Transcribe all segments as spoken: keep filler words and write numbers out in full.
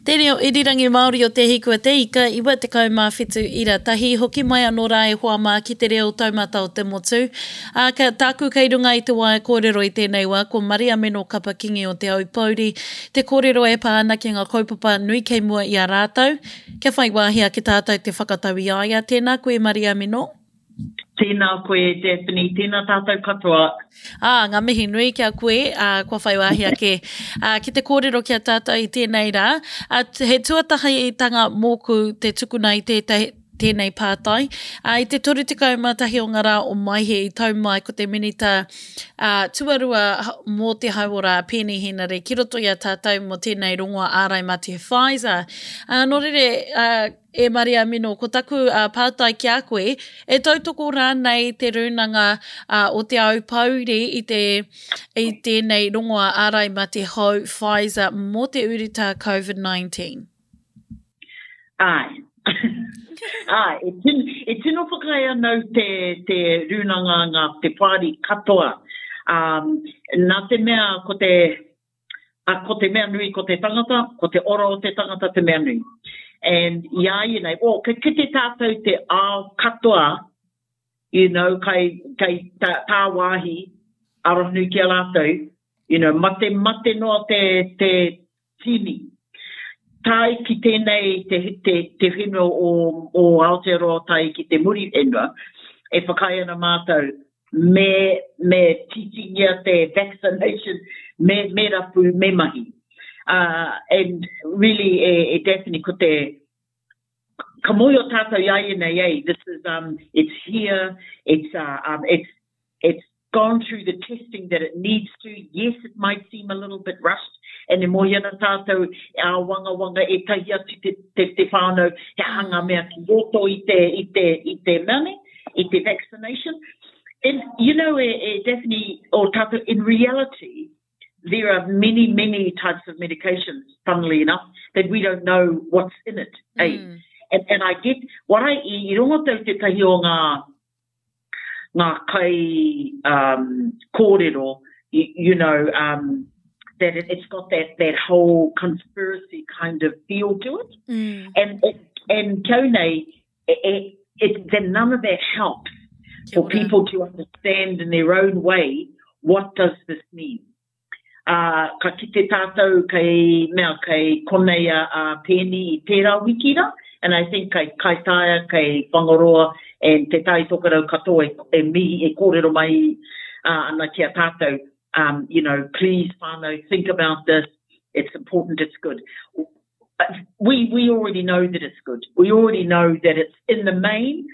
Te reo irirangi Māori o Te Hiku a Te Ika, iwa tekau mā whitu ira tahi, hoki mai anō rā e hoa mā ki te reo taumata o te motu. Ā, ka, tāku kei runga i te waea kōrero i tēnei wā, ko Mariameno Kapa Kingi o Te Aupōuri, te kōrero e pā ana ki ngā kaupapa nui kei mua i a rātou, kia whai wāhi ake tātou te whakatau i a ia. Tēnā koe Mariameno. Tēnā koe Daphne, tēnā tātou katoa. Ā, ngā mihi nui ki a koe, ā, kua whai wāhi ake ā, ki te kōrero ki a tātou i tēnei rā. Ā, he tuatahitanga mōku te tukuna i tētahi, tēnei pātai. Ā, i te toru tekau mā tahi o ngā rā o Maehe i tau mai ko te Minita ā, tuarua mō te hauora a Peeni Henare ki roto i a tātou mō tēnei rongoa ārai mate Pfizer. Ā, nō reira, ā, E Mariamino, ko taku pātai ki a koe, e tautoko rānei te Rūnanga o Te Aupōuri i te, i tēnei rongoa ārai mate hou Pfizer mō te urutā Covid nineteen? Āe. Āe, e tino, e tino whakaae ana au te, te Rūnanga, ngā, te whāri katoa. Um, nā te mea ko te, A ko te mea nui ko te tangata, ko te ora o te tangata te mea nui. And i a ia nei, oh, kei kite tātou te ao katoa, you know, kai, kai tā, tāwāhi, arohanui ki a rātou, you know, mate, mate noa te, te tini. Tae ki tēnei te, te, te whenua o, o Aotearoa tae ki te Muriwhenua, e whakaae ana mātou, me, me tītīngia te vaccination, me, me rapu, me mahi. Uh, and really, e, e Daphne, ko te, ka mōhio tātou i a ia nei, eh, this is, um, it's here, it's, uh, um, it's, it's gone through the testing that it needs to. Yes, it might seem a little bit rushed, and e mōhio ana tātou, āwangawanga ētahi atu te, te, te whānau, he aha ngā mea ki roto i te, i te, i te mea nei, i te vaccination. And, you know, e, e Daphne, o tātou, in reality, there are many, many types of medications, funnily enough, that we don't know what's in it. Eh? Mm. And, and I get, what I, i, i rongo tau tētahi o ngā, ngā kai um, kōrero, you, you know, um, that it, it's got that, that whole conspiracy kind of feel to it. Mm. And, it, and kau nei, it, it, then none of that helps for people to understand in their own way what does this mean. Uh, ka kite tātou kei, mea, kei konei a, a Peeni i tērā wiki rā, and I think kei Kaitaia, kei Whangaroa, and Te Tai Tokerau katoa e, e mihi, e kōrero mai uh, ana ki a tātou, um, you know, please whānau, think about this, it's important, it's good. We, we already know that it's good. We already know that it's in the main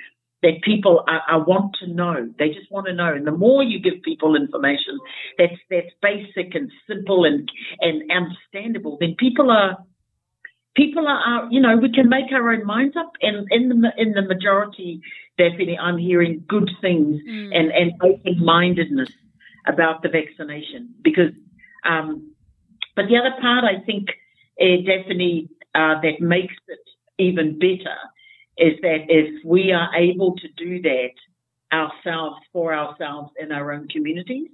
that people are, are want to know. They just want to know. And the more you give people information that's, that's basic and simple and, and understandable, then people are, people are, are, you know, we can make our own minds up. And in the, in the majority, definitely I'm hearing good things mm. and, and open-mindedness about the vaccination. Because, um, but the other part, I think, uh, Daphne, uh, that makes it even better is that if we are able to do that ourselves, for ourselves in our own communities,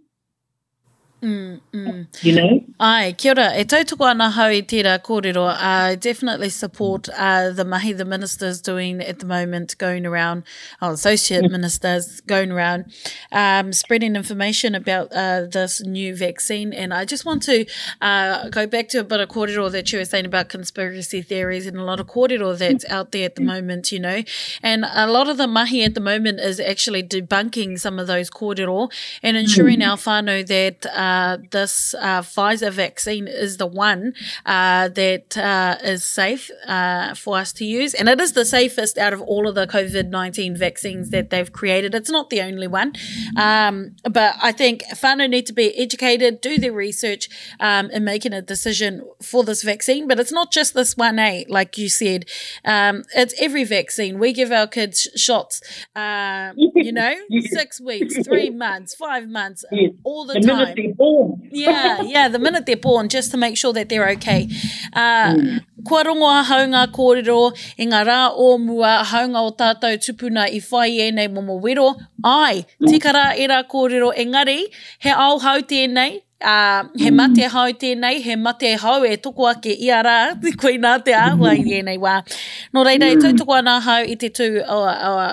Mm, mm. You know? Ai, kia ora. E tautoko ana hau i tērā kōrero. I definitely support, uh, the mahi the minister's doing at the moment, going around, oh, associate mm. ministers going around, um, spreading information about, uh, this new vaccine. And I just want to, uh, go back to a bit of kōrero that you were saying about conspiracy theories and a lot of kōrero that's out there at the moment, you know. And a lot of the mahi at the moment is actually debunking some of those kōrero and ensuring mm. our whānau that, uh, Uh, this, uh, Pfizer vaccine is the one, uh, that, uh, is safe, uh, for us to use. And it is the safest out of all of the COVID nineteen vaccines that they've created. It's not the only one. Um, but I think whānau need to be educated, do their research, um, in making a decision for this vaccine. But it's not just this one, eh, like you said. Um, it's every vaccine. We give our kids shots, uh, you know, six weeks, three months, five months, yes. all the, the time. Minute they're born. Yeah, yeah, the minute they're born, just to make sure that they're okay. Uh, mm. Kua rongo ahau ngā kōrero i ngā rā o mua, haunga o tātou tupuna i whai ēnei momo wero. Ai, tika rā e rā kōrero, engari, he ao hau tēnei, Ā, he mate hou tēnei, he mate hou e toko ake ia rā, koinā te āhua i ēnei wā. Nō reira, e tautoko ana ahau i te tū o, o,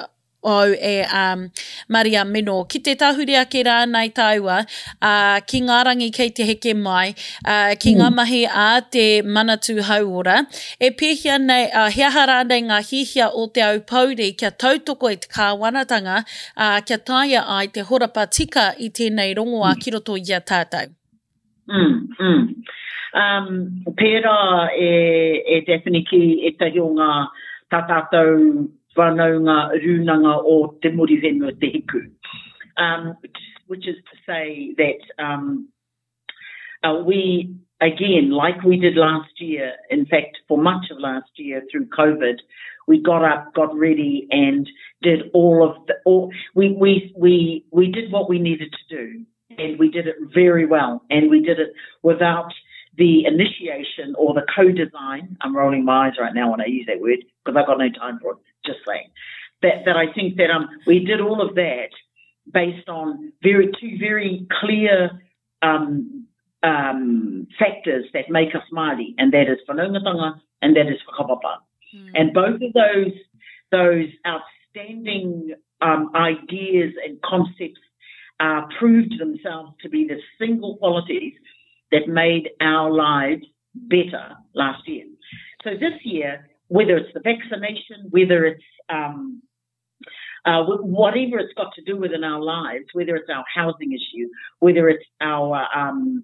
au e um, Maria Meno. Ki te tahuri ake rānei tāua, uh, ki ngā rangi kei te heke mai, uh, ki ngā mahi a te Manatū Hauora, e pēhea nei, uh, he aha rānei ngā hihia o Te Aupōuri kia tautoko i te kāwanatanga, ā, kia taea ai te horapa tika i tēnei rongoā ki roto i a tātou? Mm, mm. Um, pērā e, e Daphne ki ētahi o ngā tā tātou whanaunga rūnanga o te Muriwhenua Te Hiku. Um, which is to say that um, uh, we, again, like we did last year, in fact, for much of last year through COVID, we got up, got ready, and did all of the, all, we, we, we, we did what we needed to do, and we did it very well, and we did it without the initiation or the co-design. I'm rolling my eyes right now when I use that word because I've got no time for it, just saying. That, that I think that um, we did all of that based on very two very clear um, um, factors that make us Māori, and that is whanaungatanga and that is whakapapa. Mm. And both of those, those outstanding um, ideas and concepts uh, proved themselves to be the single qualities that made our lives better last year. So this year, whether it's the vaccination, whether it's um, uh, whatever it's got to do with in our lives, whether it's our housing issue, whether it's our, um,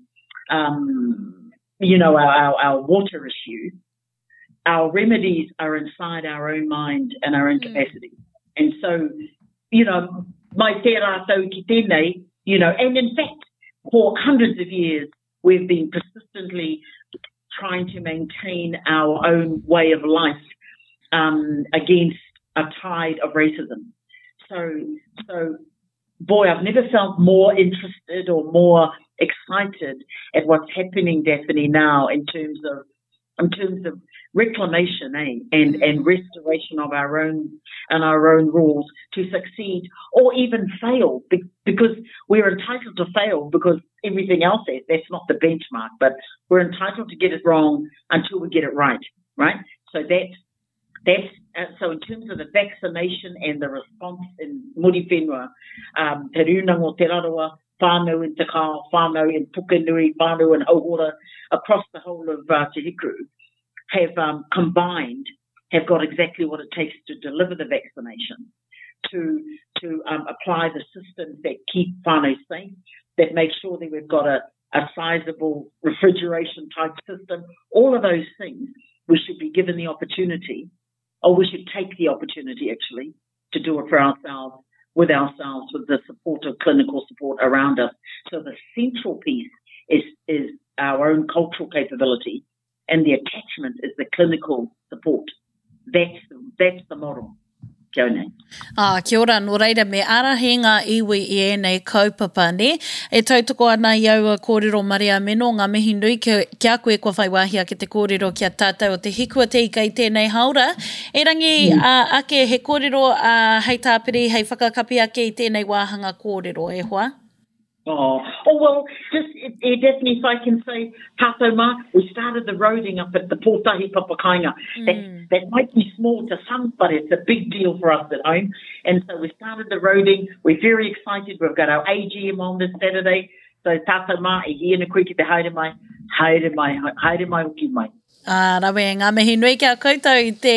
um, you know, our, our, our water issue, our remedies are inside our own mind and our own mm. capacity. And so, you know, mai tērā tau ki tēnei, you know, and in fact, for hundreds of years, we've been persistently trying to maintain our own way of life um, against a tide of racism. So, so, boy, I've never felt more interested or more excited at what's happening, Daphne, now in terms of in terms of reclamation, eh, and, and restoration of our own and our own rules to succeed or even fail, be, because we're entitled to fail because everything else is, that's not the benchmark, but we're entitled to get it wrong until we get it right, right? So that's, that's uh, so in terms of the vaccination and the response in Muriwhenua, um, Te Rūnanga o Te Rarawa, whānau in Te Kao, whānau in Pukenui, whānau in Hauora, across the whole of uh, Te Hiku, have um, combined, have got exactly what it takes to deliver the vaccination, to, to um, apply the systems that keep whānau safe, that make sure that we've got a, a sizable refrigeration type system, all of those things, we should be given the opportunity, or we should take the opportunity actually, to do it for ourselves, with ourselves, with the support of clinical support around us. So the central piece is, is our own cultural capability, and the attachment is the clinical support. That's, that's the model. Kia ora. Ah, kia ora, nō reira me ārahi ngā iwi i ēnei kaupapa, nē? E tautoko ana i aua kōrero Maria Meno, ngā mihi nui ki, ki a koe kua whai wāhi ake te kōrero ki a tātou o Te Hiku a Te Ika i tēnei haora. Erangi mm. uh, ake he kōrero uh, hei tāpiri, hei whakakapi ake i tēnei wāhanga kōrero, e hoa? Oh, oh well, just it, it definitely, if I can say, tātou mā, we started the roading up at the Pōtahi Papakainga. Mm. That, that might be small to some, but it's a big deal for us at home. And so we started the roading. We're very excited. We've got our A G M on this Saturday. So tātou mā, e hia na koe ki te haere mai, haere mai, haere mai hoki mai. Ah, rawe, ngā mihi nui ki a koutou i te,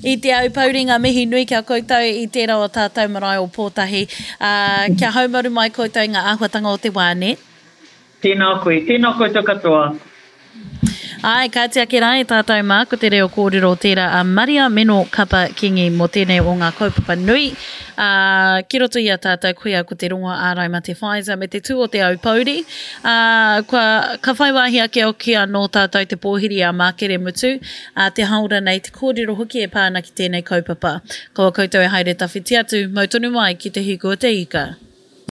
i te Aupōuri, ngā mihi nui ki a koutou i tērā o tātou marae o Pōtahi. Ah, kia haumaru mai koutou i ngā āhuatanga o te wā, nē? Tēnā koe, tēnā koutou katoa. Ai, ka oti ake rā e tātou mā, ko te reo kōrero tērā a Maria Meno Kapa Kingi mō tēnei o ngā kaupapa nui. Uh, ki roto i a tātou koia ko te rongoa ārai mate Pfizer me te tū o te Aupōuri. Uh, kua, ka whai wāhi ake hoki anō tātou te pōhiri a Mākere Mutu, uh, te haora nei te kōrero hoki e pā ana ki tēnei kaupapa. Kaua koutou e haere tawhiti atu, mau tonu mai ki te hiku o te ika.